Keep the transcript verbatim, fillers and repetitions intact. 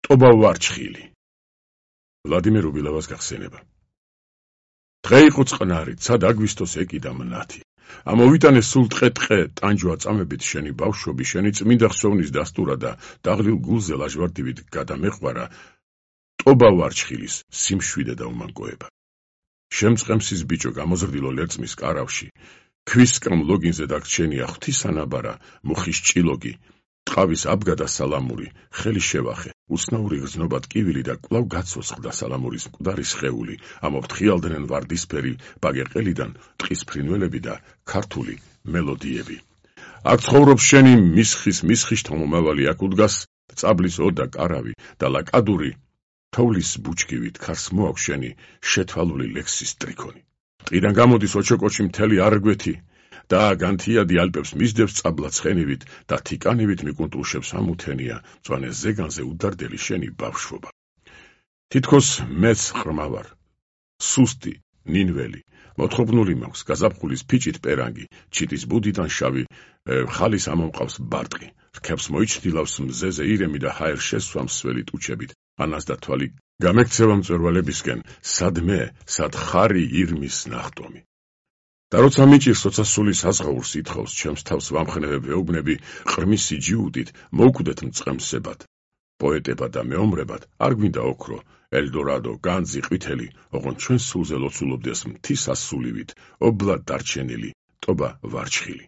ტობა ვარჩხილი. ვლადიმერ უბილავას გახსენება. დღე იყო წყნარი, ცად აგვისტოს ეკიდა მნათი. ამოვიტანე სულ ტყე-ტყე ტანჯვა წამებით შენი ბავშვობი, შენი წმინდა ხსოვნის დასტურა და დაღლილ გულზე ლაჟვარდივით გადამეყვარა ტობა ვარჩხილის სიმშვიდე და უმანკოება. შემწყემსის ბიჭო გამოზრდილო ლერწმის კარავში, ქვისკამ ლოგინზე დაგრჩენია ღვთისანაბარა, მუხის ჭილოგი, ტყავის აბგადა სალამური, ხელი შევახე, უცნაური გრძნობა ტკივილი და კვლავ გაცოცხლდა სალამურის მკვდარი სხეული, ამოფრთხიალდნენ ვარდისფერი ბაგეყელიდან ტყის ფრინველები და ქართული მელოდიები. აქ ცხოვრობს შენი მისხის მისხიშთა მომავალი, აქ უდგას წაბლის ოდა კარავი და ლაკადური თოვლის ბუჩქივით ქარს მოაქვს შენი შეთვალული ლექსის ტრიქონი. ტყიდან გამოდის ოჩოკოჩი მთელი არგვეთი და განთიადი ალპებს მისდევს წაბლა ცხენივით და თიკანივით მიკუნტრუშებს ამუთენია მწვანე ზეგანზე უდარდელი შენი ბავშვობა. თითქოს მეც ღრმა ვარ, სუსტი, ნინველი, მოთხრობნული მაქვს, გაზაფხულის ფიჭით პერანგი, ჩიტის ბუდიდან შავი ხალის ამომყავს ბარტყი, რქებს მოიჩtildeავს მზეზე ირემი და ჰაერ შესვამს სველი ტუჩებით, ანას და თვალი გამექცევა მწვერვალებისკენ, სადმე, სად ხარი ირმის ნახტომი. და როცა მიჭირს, როცა სული საზღაურს ითხოვს, ჩემს თავს ვამხნევებ ვეუბნები ყრმისი ჯიუდით, მოვკვდეთ მწყემსებად, პოეტებად და მეომრებად, არ გვინდა ოქრო, ელდორადო, განძი, ყვითელი, ოღონდ ჩვენ სულზე ლოცულობდეს მთის ასულივით, ობლად დარჩენილი ტობა ვარჩხილი.